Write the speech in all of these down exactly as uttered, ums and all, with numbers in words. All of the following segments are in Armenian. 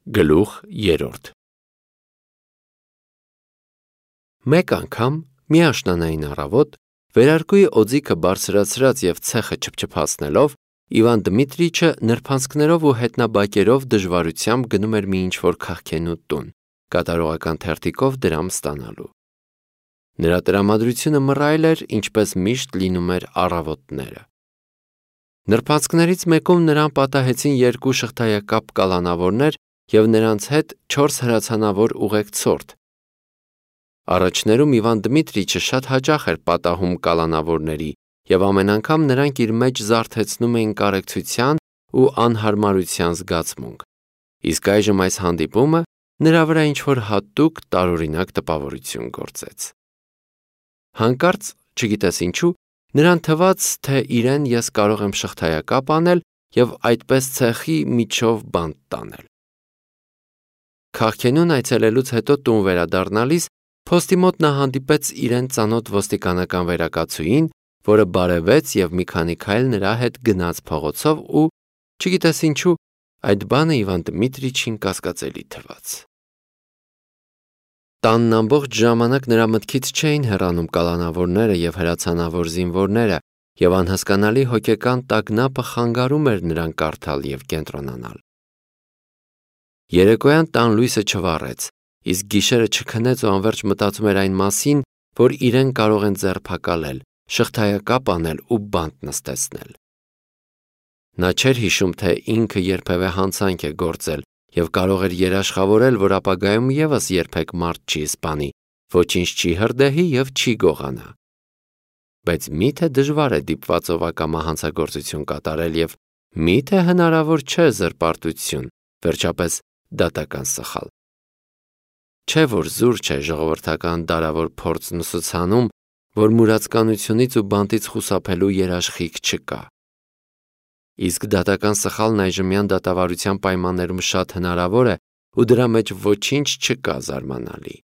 Գլուխ երրորդ Մեկ անգամ մի աշնանային առավոտ վերարկուի օձիքը բարձրացրած և ցեխը չփչփացնելով Իվան Դմիտրիչը նրբանցքներով ու հետնաբակերով դժվարությամբ գնում էր մի ինչ-որ քաղքենու տուն, կատարողական թերթիկով դրամ ստանալու։ Նրա տրամադրությունը մռայլ էր, ինչպես միշտ լինում էր առավոտները։ Նրբանցքներից մեկում նրան պատահեցին երկու շղթայակապ կալանավորներ և նրանց հետ չորս հրացանավոր ուղեկցորդ։ Առաջներում Իվան Դմիտրիչը շատ հաճախ էր պատահում կալանավորների, և ամեն անգամ նրանք իր մեջ զարթեցնում էին կարեկցության ու անհարմարության զգացմունք, իսկ այժմ այս հանդիպումը նրա վրա ինչ-որ հատուկ տարօրինակ տպավորություն գործեց։ Հանկարծ, չգիտես ինչու, նրան թվաց, թե իրեն ես կարող եմ շղթայակապ անել և այդպես ցեխի միջով բանտ տանել։ Քաղքենուն այցելելուց հետո տուն վերադառնալիս փոստի մոտ նա հանդիպեց իրեն ծանոթ ոստիկանական վերակացուհին, որը բարևեց և մի քանի քայլ նրա հետ գնաց փողոցով ու, չգիտես ինչու, այդ բանը Իվան Դմիտրիչին կասկածելի թվաց։ Տանն ամբողջ ժամանակ նրա մտքից չէին հեռանում կալանավորները և հրացանավոր զինվորները, և անհասկանալի հոգեկան տագնապը խանգարում էր նրան կարդալ և կենտրոնանալ։ Երեկոյան տան լույսը չվառեց, իսկ գիշերը չքնեց ու անվերջ մտածում էր այն մասին, որ իրեն կարող են ձերբակալել, շղթայակապ անել ու բանտ նստեցնել։ Նա չէր հիշում, թե ինքը երբևէ հանցանք է գործել և կարող էր երաշխավորել, որ ապագայում ևս երբեք մարդ չի սպանի, ոչինչ չի հրդեհի և չի գողանա։ Բայց մի՞թե դժվար է դիպվածով ակամա հանցագործություն կատարել և մի՞թե հնարավոր չէ զրպարտություն, վերջապես դատական սխալ։ Չէ՞ որ զուր չէ ժողովրդական դարավոր փորձն ուսուցանում, որ մուրացկանությունից ու բանտից խուսափելու երաշխիք չկա։ Իսկ դատական սխալն այժմյան դատավարության պայմաններում շատ հնարավոր է ու դրա մեջ ոչինչ չկա զարմանալի։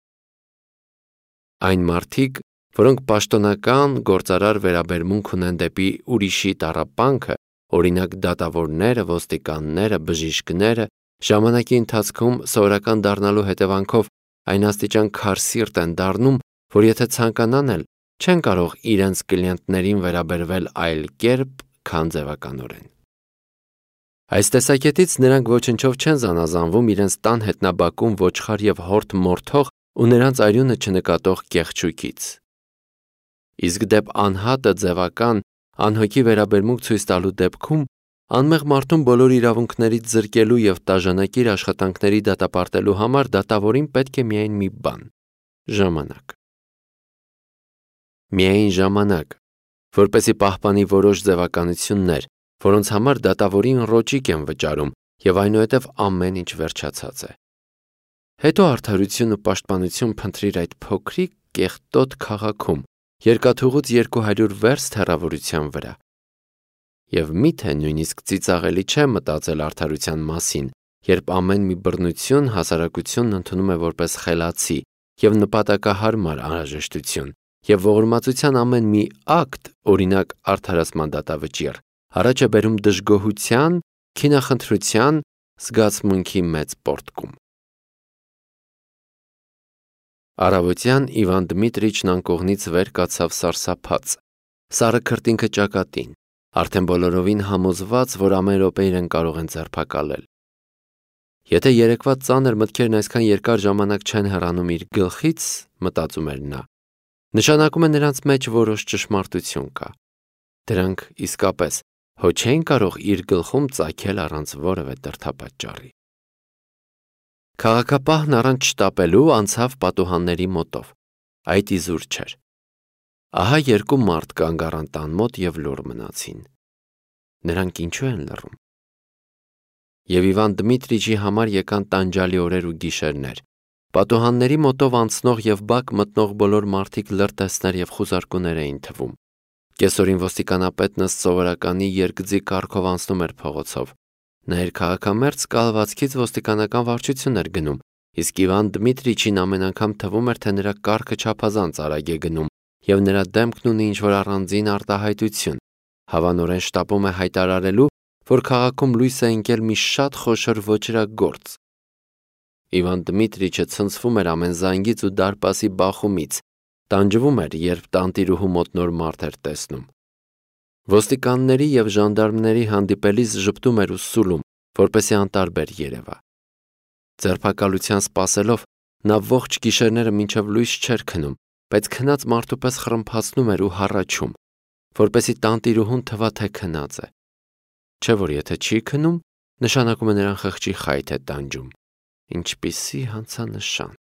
Այն մարդիկ, որոնք պաշտոնական, գործարար վերաբերմունք ունեն դեպի ուրիշի տառապանքը, օրինակ դատավորները, ոստիկանները, բժիշկները, ժամանակի ընթացքում սովորական դառնալու հետևանքով այն աստիճան քարսիրտ են դառնում, որ եթե ցանկանան էլ, չեն կարող իրենց կլիենտներին վերաբերվել այլ կերպ, քան ձևականորեն։ Այս տեսակետից նրանք ոչնչով չեն զանազանվում իրենց տան հետնաբակում ոչխար և հորդ մորթող ու նրանց արյունը չնկատող կեղճուկից։ Իսկ դեպ անհատը ձևական, անհոգի վերաբերմունք ցույց տալու դեպքում անմեղ մարդուն բոլոր իրավունքներից զրկելու և տաժանակիր աշխատանքների դատապարտելու համար դատավորին պետք է միայն մի բան՝ ժամանակ։ Միայն ժամանակ, որպեսզի պահպանի որոշ ձևականություններ, որոնց համար դատավորին ռոճիկ են վճարում և այնուհետև ամեն ինչ վերջացած է։ Հետո արդարություն ու պաշտպանություն փնտրիր այդ փոքրիկ կեղտոտ քաղաքում, երկաթուղուց երկու հարյուր վերստ հեռավորության վրա։ Եվ մի՞թե նույնիսկ ծիծաղելի չէ մտածել արդարության մասին, երբ ամեն մի բռնություն հասարակությունն ընդունում է որպես խելացի և նպատակահարմար անհրաժեշտություն, և ողորմածության ամեն մի ակտ, օրինակ արդարացման դատավճիռ, առաջ է բերում դժգոհության, քինախնդրության, զգացմունքի մեծ պոռթկում։ Առավոտյան Իվան Դմիտրիչն անկողնից վեր կացավ սարսափած, սառը քրտինքը ճակատին, արդեն բոլորովին համոզված, որ ամեն րոպե իրեն կարող են ձերբակալել։ Եթե երեկվա ծանր մտքերն այսքան երկար ժամանակ չեն հեռանում իր գլխից, մտածում էր նա, նշանակում է նրանց մեջ որոշ ճշմարտություն կա։ Դրանք իսկապես հո չէին կարող իր գլխում ծագել առանց որևէ դրդապատճառի։ Քաղաքապահն առանց շտապելու անցավ պատուհանների մոտով, այդ իզուր չէր։ Ահա երկու մարդ կանգ առան տան մոտ և լուռ մնացին։ Նրանք ինչու են լռում։ Եվ Իվան Դմիտրիչի համար եկան տանջալի օրեր ու գիշերներ։ Պատուհանների մոտով անցնող և բակ մտնող բոլոր մարդիկ լրտեսներ և խուզարկուներ էին թվում։ Կեսօրին ոստիկանապետն ըստ սովորականի երկձի կառքով անցնում էր փողոցով։ Նա իր քաղաքամերձ կալվածքից ոստիկանական վարչություն էր գնում, իսկ Իվան Դմիտրիչին ամեն անգամ թվում էր, թե նրա կառքը չափազանց արագ է գնում, և նրա դեմքն ունի ինչ-որ առանձին արտահայտություն, հավանորեն շտապում է հայտարարելու, որ քաղաքում լույս է ընկել մի շատ խոշոր ոճրագործ, Իվան Դմիտրիչը ցնցվում էր ամեն զանգից ու դարպասի բախումից, տանջվում էր, երբ տանտիրուհու մոտ նոր մարդ էր տեսնում։ Ոստիկանների և ժանդարմների հանդիպելիս ժպտում էր ու սուլում, որպեսզի անտարբեր երևա։ Ձերբակալության սպասելով նա ողջ գիշերները մինչև լույս չէր քնում, բայց քնած մարդու պես խռմփացնում էր ու հառաչում, որպեսզի տանտիրուհուն թվա, թե քնած է։ Չէ՞ որ եթե չի քնում, նշանակում է նրան խղճի խայթ է տանջում։ Ինչպիսի հանցանշան։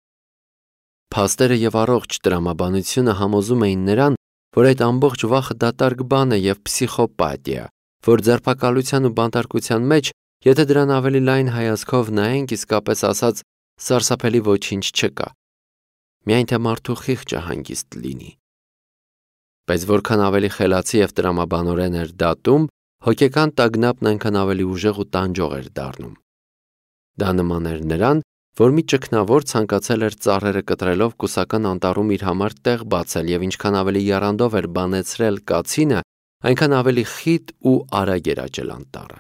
Փաստերը և առողջ տրամաբանությունը համոզում էին նրան, որ այդ ամբողջ վախը դատարկ բան է և փսիխոպաթիա, որ ձերբակալության ու բանտարկության մեջ, եթե դրան ավելի լայն հայացքով նայենք, իսկապես ասած, սարսափելի ոչինչ չկա։ Միայն թե մարդու խիղճը հանգիստ լինի։ Բայց որքան ավելի խելացի և տրամաբանորեն էր դատում, հոգեկան տագնապն այնքան ավելի ուժեղ ու տանջող էր դառնում։ Դա նման էր նրան, որ մի ճգնավոր ցանկացել էր ծառերը կտրելով կուսական անտառում իր համար տեղ բացել և ինչքան ավելի եռանդով էր բանեցրել կացինը, այնքան ավելի խիտ ու արագ էր աճել անտառը։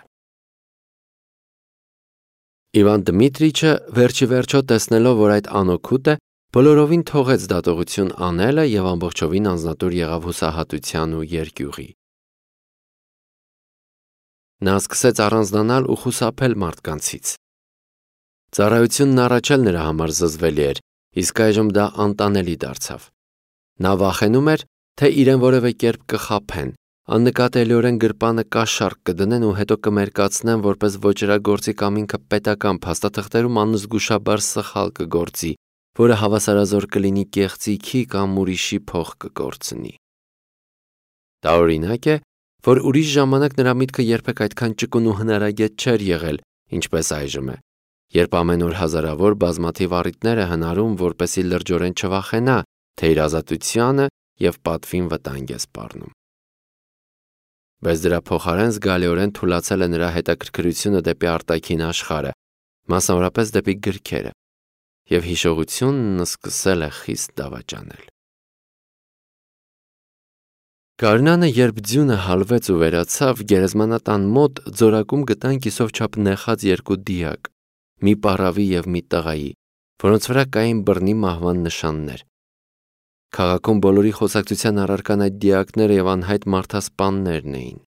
Իվան Դմիտրիչը վերջիվերջո տեսնելով, որ այդ անօգուտ է, բոլորովին թողեց դատողություն անելը և ամբողջովին անձնատուր եղավ հուսահատության ու երկյուղի։ Նա սկսեց առանձնանալ ու խուսափել մարդկանցից։ Ծառայությունն առաջ էլ նրա համար զզվելի էր, իսկ այժմ դա անտանելի դարձավ։ Նա վախենում էր, թե իրեն որևէ կերպ կխաբեն, աննկատելիորեն գրպանը կաշառք կդնեն ու հետո կմերկացնեն, որպես ոճրագործի կամ ինքը պետական փաստաթղթերում անզգուշաբար սխալ կգործի, որը հավասարազոր կլինի կեղծիքի կամ ուրիշի փող կկորցնի։ Տարօրինակ է, որ ուրիշ ժամանակ նրա միտքը երբեք այդքան ճկուն ու հնարագետ չէր եղել, ինչպես այժմ է, երբ ամեն օր հազարավոր բազմաթիվ առիթներ է հնարում, որպեսզի լրջորեն չվախենա, թե իր ազատությանը և պատվին վտանգ է սպառնում։ Բայց դրա փոխարեն զգալիորեն թուլացել է նրա հետաքրքրությունը դեպի արտաքին աշխարհը, մասնավորապես դեպի գրքերը, և հիշողությունն սկսել է խիստ դավաճանել։ Գարնանը, երբ ձյունը հալվեց ու վերացավ, գերեզմանատան մոտ ձորակում գտան կիսով չափ նեխած երկու դիակ, մի պառավի և մի տղայի, որոնց վրա կային բռնի մահվան նշաններ։ Քաղաքում բոլորի խոսակցության առարկան այդ դիակները և անհայտ մարդասպաններն էին։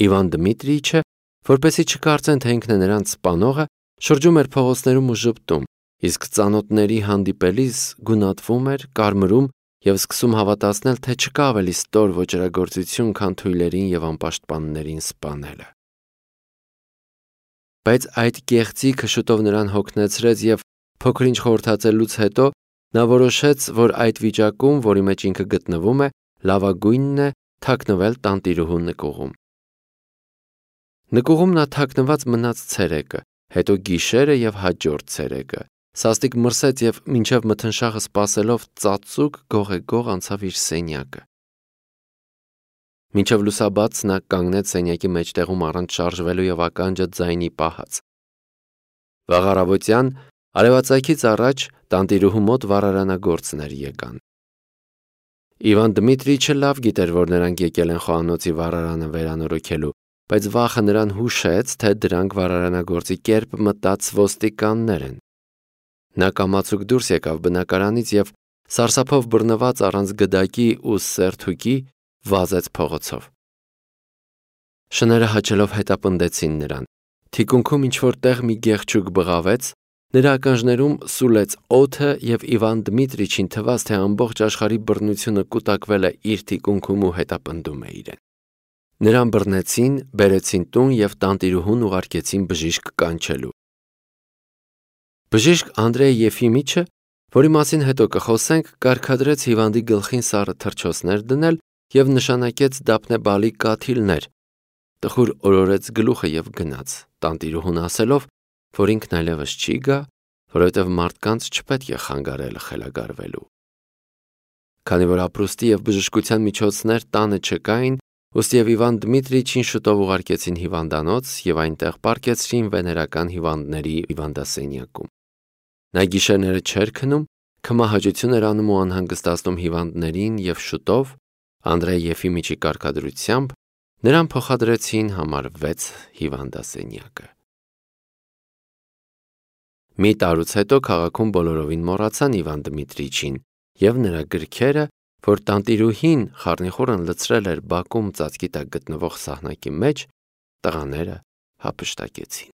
Իվան Դմիտրիչը, որպեսզի չկարծեն, թե ինքն է նրանց սպանողը, շրջում էր փողոցներում ու ժպտում, իսկ ծանոթների հանդիպելիս գունատվում էր, կարմրում և սկսում հավատացնել, թե չկա ավելի ստոր ոճրագործություն, քան թույլերին և անպաշտպաններին սպանելը։ Բայց այդ կեղծիքը շուտով նրան հոգնեցրեց և փոքր-ինչ խորհրդածելուց հետո նա որոշեց, որ այդ վիճակում, որի մեջ ինքը գտնվում է, լավագույնն է թաքնվել տանտիրուհու նկուղում։ Նկուղում նա թաքնված մնաց ցերեկը, հետո գիշերը և հաջորդ ցերեկը, սաստիկ մրսեց և մինչև մթնշաղը սպասելով ծածուկ գողեգող անցավ իր սենյակը։ Մինչև լուսաբաց նա կանգնեց սենյակի մեջտեղում առանց շարժվելու և ականջը ձայնի պահած։ Վաղ առավոտյան արևածագից առաջ տանտիրուհու մոտ վառարանագործներ եկան։ Իվան Դմիտրիչը լավ գիտեր, որ նրանք եկել են խոհանոցի վառարանը վերանորոգելու, բայց վախը նրան հուշեց, թե դրանք վառարանագործի կերպ մտած ոստիկաններ են։ Նա կամացուկ դուրս եկավ բնակարանից և սարսափով բռնված առանց գդակի ու սերթուկի վազեց փողոցով։ Շները հաչելով հետապնդեցին նրան։ Թիկունքում ինչ-որ տեղ մի գեղչուկ բղավեց, նրա ականջներում սուլեց օդը և Իվան Դմիտրիչին թվաց, թե ամբողջ աշխարհի բռնությունը կուտակվել է իր թիկունքում ու հետապնդում է իրեն։ Նրան բռնեցին, բերեցին տուն և տանտիրուհուն ուղարկեցին բժիշկ կանչելու։ Բժիշկ Անդրեյ Եֆիմիչը, որի մասին հետո կխոսենք, կարգադրեց հիվանդի գլխին սառը թռչոցներ դնել և նշանակեց դափնեբալի կաթիլներ, տխուր օրորեց գլուխը և գնաց, տանտիրուհուն ասելով, որ ինքն այլևս չի գա, որովհետև մարդկանց չպետք է խանգարել խելագարվելու։ Քանի որ ապրուստի և բժշկության միջոցներ տանը չկային, ուստիև Իվան Դմիտրիչին շուտով ուղարկեցին հիվանդանոց և այնտեղ պառկեցրին վեներական հիվանդների հիվանդասենյակում։ Նա գիշերները չէր քնում, քմահաճություն էր անում ու անհանգստացնում հիվանդներին և շուտով, Անդրեյ Եֆիմիչի կարգադրությամբ, նրան փոխադրեցին համար վեց հիվանդասենյակը։ Մի տարուց հետո քաղաքում բոլորովին մոռացան Իվան Դմիտրիչին և նրա գրքերը, որ տանտիրուհին խառնիխուռն լցրել էր բակում ծածկի տակ գտնվող սահնակի մեջ, տղաները հափշտակեցին։